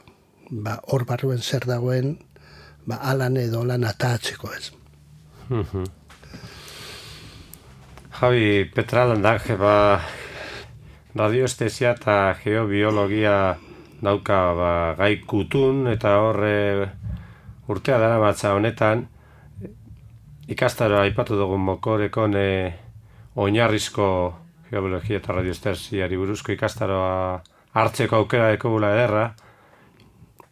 hor barruen zer dagoen, alan edo lan atatzeko ez. Javi Petralandak, radioestesia eta geobiologia dauka gai kutun, eta horre urtea dara batza honetan, ikastaroa aipatu dugun Mokorekon oinarrizko geobiologia eta radioestesiari buruzko ikastaroa hartzeko aukera ekogula ederra,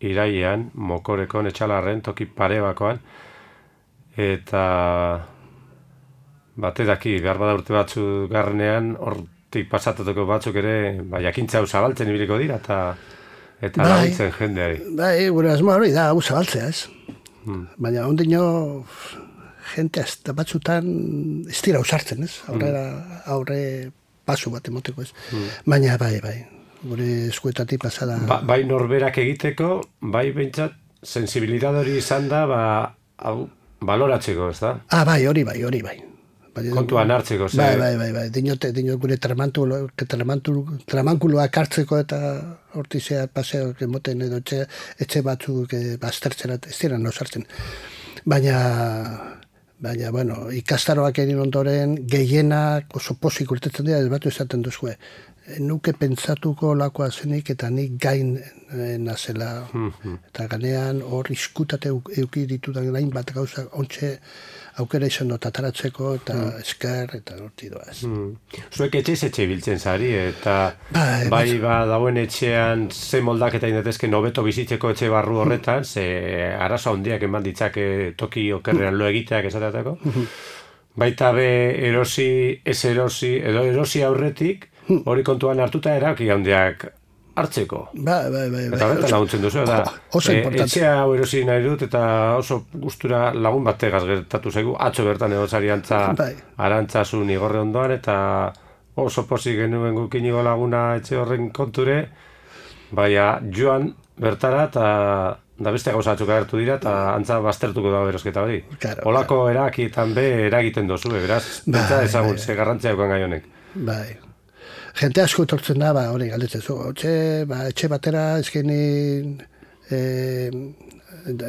irailean, Mokorekon Etxalarren, toki pare bakoan, eta bate daki, behar bada urte batzu garrenean, hortik pasatatuko batzuk ere, jakintza hau zabaltzen ibiliko dira, eta laguntzen jendeari. Bai, gure asmoa hori da, hau zabaltzea, ez? Baina ondino, jente azta batzutan ez dira usartzen, ez? Aurre pasu bat emoteko, ez? Baina, bai, gure eskuetatik pasada. Bai norberak egiteko, bai behintzat, sensibilidad hori izan da, baloratzeko, ez da? Bai, hori bai. Kontuan hartzeko, ze? Bai. Dinot gure tramankuloak hartzeko eta hortizea paseok emoten edo etxe batzuk baztertzera ez dira nosartzen. Baina, bueno, ikastaroak egin ondoren gehienak oso pozik urtetzen dira, ez batu esaten duzue. nuke pentsatuko lakoa zenik eta nik gain nazela. Eta ganean hor iskutate euki ditudan gain bat gauza ontxe aukera izan dut ataratzeko eta esker eta horti doaz. Zuek etxe biltzen zari eta bai dauen etxean ze moldaketa indetezken hobeto bizitzeko etxe barru horretan, ze arazo handiak eman ditzake toki okerrean lo egiteak esateatako. Baita be erosi, ez erosi, edo erosi aurretik, hori kontuan hartuta erabaki handiak hartzeko. Bai. Eta horretan laguntzen duzu, da. Etxea hau erosi nahi dut, eta oso gustura lagun bategaz gertatu zaigu, atzo bertan egozari arantzasun igorre ondoan, eta oso pozik genuen gukinigo laguna etxe horren konture, baina joan bertara, eta da beste gauzatzuk agertu dira, eta antza baztertuko da berosketa hori. Olako erakietan be eragiten dozu, beraz, bentsa ezagun, ze garrantzia eukan gai honek. Bai. Jente asko etortzen da, hori galdetzen zu, etxe batera ezkenin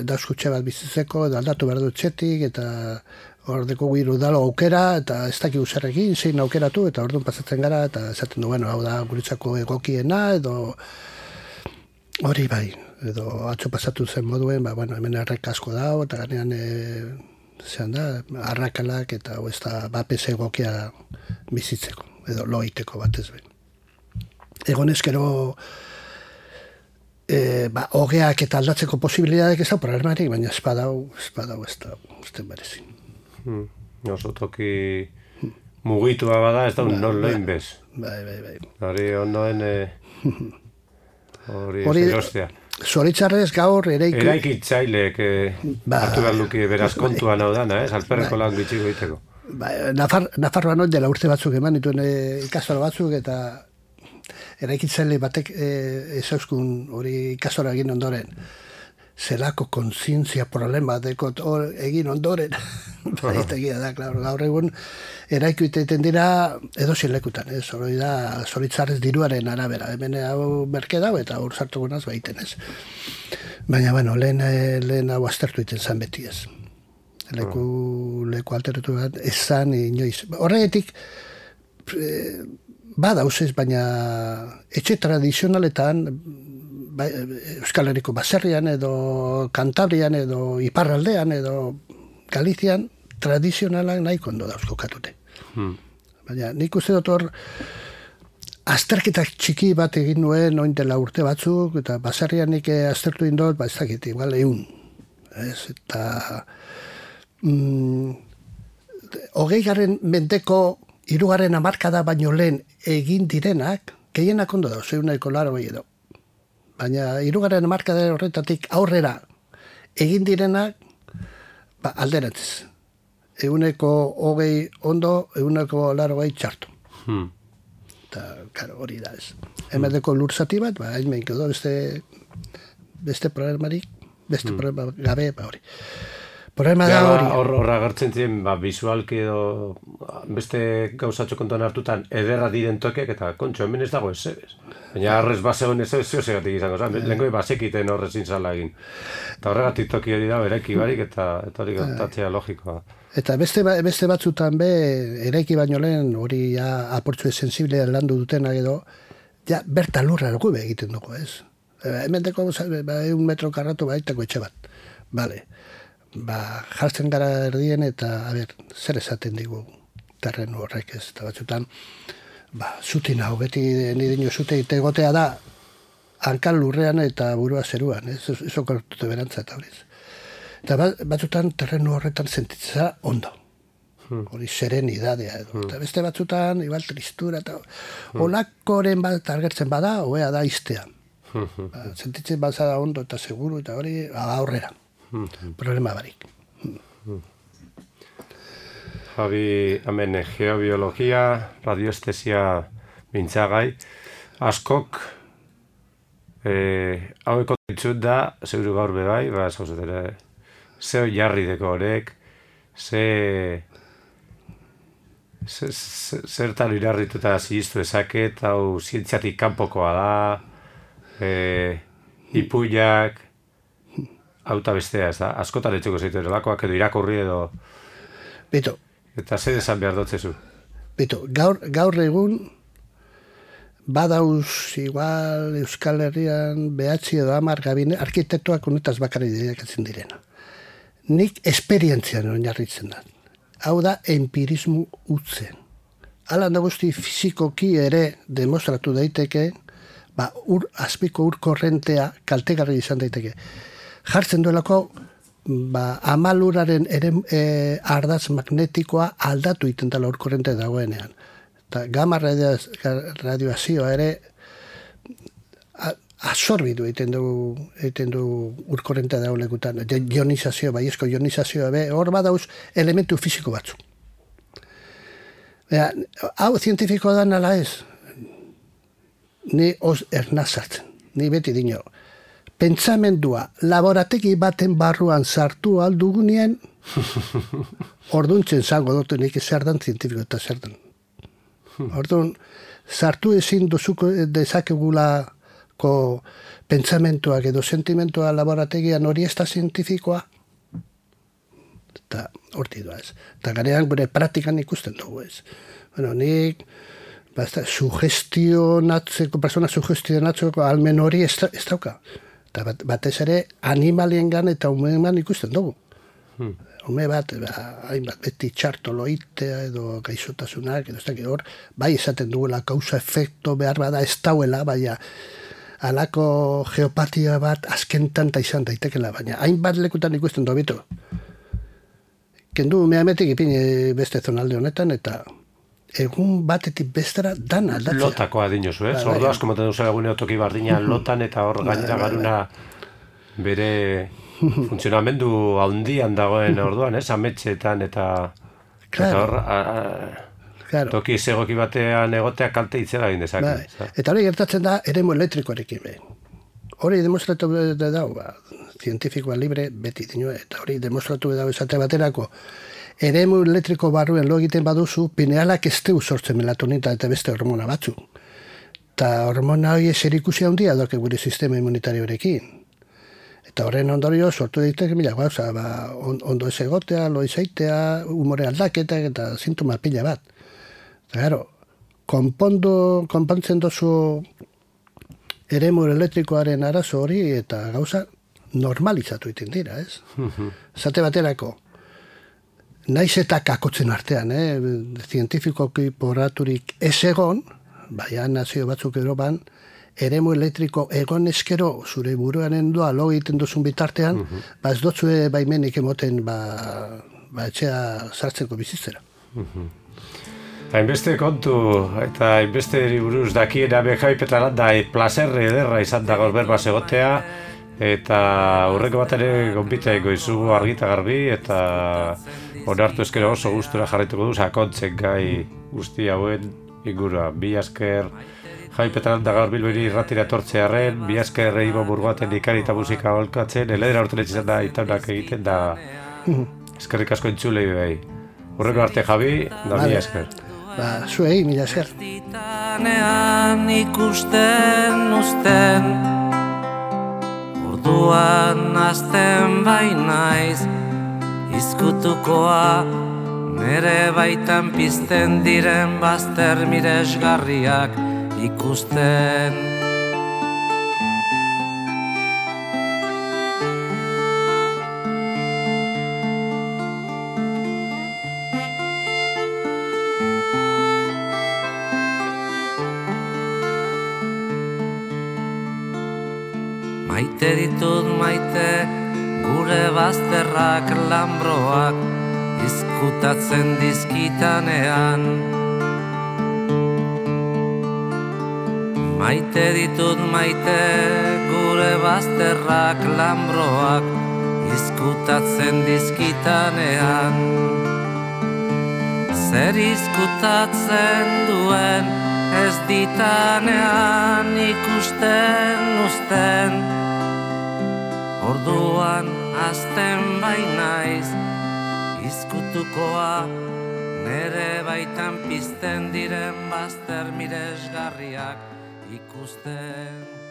dauzko bat bizitzeko, aldatu behar du etxetik, eta hor deko giru dalo aukera, eta ez dakik uzerrekin, zein aukeratu, eta orduan pasatzen gara, eta esaten du, hau da guretzako egokiena, edo hori bai, edo atzo pasatu zen moduen, hemen errek asko dago, eta ganean arrakalak, eta ez da bapes egokia bizitzeko, edo loiteko batez behin. Egon ezkero hogeak eta aldatzeko posibilitateak ez da problemarik, baina ez badau ez da berezin. Oso toki mugitua bada, ez da un non loin bez. Bai. Hori ondoen hori erostea. Zoritzarrez gaur eraikitzaileek hartu behar luki beraz kontuan hau dana, alperreko lan bitxiko egiteko. Nafarroan hori dela urte batzuk eman dituen ikastaro batzuk, eta eraikitzaile batek ezauskun hori ikastora egin ondoren. Zelako kontzientzia problema dekot egin ondoren. Eta egia da, gaur egun eraiku iten dira edozien lekutan, hori da zoritzarrez diruaren arabera. Hemen hau merke dau eta hor sartu gunaz baiten ez. Baina, lehen hau aztertu iten zan beti ez. Leku alteratu bat, ezan inoiz. Horregatik, badauz ez, baina etxe tradizionaletan, Euskal Herriko baserrian, edo Kantabrian, edo Iparraldean, edo Galizian, tradizionalak nahiko ondo dauzko katute. Baina nik uste dut hor, azterketak txiki bat egin nuen, oin dela urte batzuk, eta baserrian nik aztertu indot, ez dakit, igual 100. Eta 20. mendeko 3. hamarkada baino lehen egin direnak, gehienak ondo dauz, 180 edo. Baina 3. hamarkada horretatik aurrera egin direnak, alderantziz. 120 ondo, 180 txartu. Eta, hori da ez. Hemerdeko lur zati bat, hain meinko do, beste problemarik, beste problema gabe, hori. Problema da hori. Horra gertzen ziren, visualki edo beste gauzatxo kontuan hartutan ederra diren tokeak eta kontxo, hemen ez dago ez. Baina arrez basegon ez zeosegatik izango, lehenko basekiten horrezin zala egin. Eta horregatik toki hori da, eraiki barik eta hori gertatzea logikoa. Eta beste batzutan eraiki baino lehen hori aportzu sensiblea landu dutenak edo, berta lurra dugu egiten dugu, ez? Hemen deko 1 metro karratu baitako etxe bat. Bale. Jartzen gara erdien eta, zer esaten digu terrenu horrek ez, eta batzutan, zutin hau, beti nidino zute egotea da, hankal lurrean eta burua zeruan, ez okortute berantza eta horiz. Eta batzutan terrenu horretan sentitzea ondo, hori serenidadea edo, eta beste batzutan, igual tristura eta olakoren bat argertzen bada, hoea da iztea. Sentitzen bazada ondo eta seguru eta hori aurrera. Problema barik. Javi, hemen geobiologia, radioestesia mintzagai, askok haueko ditzut da, seguru gaur bebai, ze jarri deko horek, zertan irarrituta ziztu ezaket, hau zientziatik kanpokoa da, ipuiak, auta bestea, ez da? Askotan etxeko zeitu eralakoak edo irakurri edo... Bito. Eta zer esan behar dotzezu? Bito, gaur egun badauz igual Euskal Herrian 9 edo 10 gabine arkitektoak honetaz bakarrik dedikatzen direna. Nik esperientzian oinarritzen da. Hau da empirismo utzen. Hala da guzti fizikoki ere demostratu daiteke, azpiko ur korrentea kaltegarri izan daiteke. Jartzen duelako, amaluraren ardaz magnetikoa aldatu iten dela ur korrente dagoenean. Eta gamma radioazioa ere absorbidu egiten du urkorrentea daulekutan. Ionizazioa, baiezko ionizazioa, hor badauz elementu fisiko batzu. Hau zientifikoa da nala ez, ni ernazartzen, ni beti dino. Pentsamendua laborategi baten barruan sartu aldugunien, orduntzen zango dutu nik zer dan zientifiko eta zer dan. Orduan, sartu ezin dozuko dezakegulako pentsamentuak edo sentimentua laborategian hori ez da zientifikoa. Eta horti doa ez. Eta garean gure praktikan ikusten dugu ez. Bueno, nik persona sugestionatzeko almen hori ez dauka. Eta batez ere animaliengan eta umean ikusten dugu. Hume bat, hainbat beti txartoloitea edo gaixotasunak, edo ez dakit hor, bai esaten dugula kausa-efekto behar bada ez dauela, baina halako geopatia bat azkentan ta izan daitekela, baina hainbat lekutan ikusten dobitu. Kendu umeametik ipini beste zonalde honetan, eta egun batetik bestera dan aldatzea. Lotakoa dinozu, Ordu asko moten duzu egune otoki bardina lotan, eta hor gainera garuna bere funtzionamendu handian dagoen orduan, ametxetan eta hor toki segoki batean egotea kalte itzela egin dezake. Eta hori gertatzen da eremu elektrikoarekin. Hori demostratu dau, zientifikoa libre beti dino, eta hori demostratu dau esate baterako eremu elektriko barruen lo egiten baduzu, pinealak ez teu sortzen melatonina eta beste hormona batzu. Eta hormona hori zerikusia handia doke gure sistema immunitarioarekin. Eta horren ondorio sortu daiteke mila gauza, ondo ez egotea, lo izaitea, umore aldaketak eta sintoma pila bat. Eta gero, konpontzen dozu eremu elektrikoaren arazo hori eta gauza normalizatu iten dira, ez? Zate baterako, naiz eta kakotzen artean, zientifikoki poraturik ez egon, baina nazio batzuk Europan, eremu elektriko egon eskero zure buruaren doa lo egiten duzun bitartean, ez dotzue baimenik emoten etxea sartzeko bizitzera. Hainbeste kontu eta hainbeste buruz dakiena behaipetarat da plazerre ederra izan da gaur berbaz egotea, eta hurreko bat ere gonbitaiko izugu argita garbi, eta onartu eskero oso gustura jarraituko du sakontzen gai guzti hauen ingurua. Bi asker Jai Petralanda gaur Bilbori irratira etortzearren, bi asker Ibo Burgoaten ikari eta musika holkatzen, eledera urten etxizan da itaunak egiten da eskerrik asko entzulei behi. Hurreko arte Javi, da bi asker. Zuei, mila esker. Ikusten uzten, orduan azten bainaiz, izkutukoa nere baitan pizten diren bazter miresgarriak ikusten. Maite ditut maite gure bazterrak lambroak izkutatzen dizkitanean. Maite ditut maite gure bazterrak lambroak izkutatzen dizkitanean. Zer izkutatzen duen ez ditanean ikusten uzten. Orduan azten bainaiz izkutukoa nere baitan pizten diren bazter miresgarriak ikusten.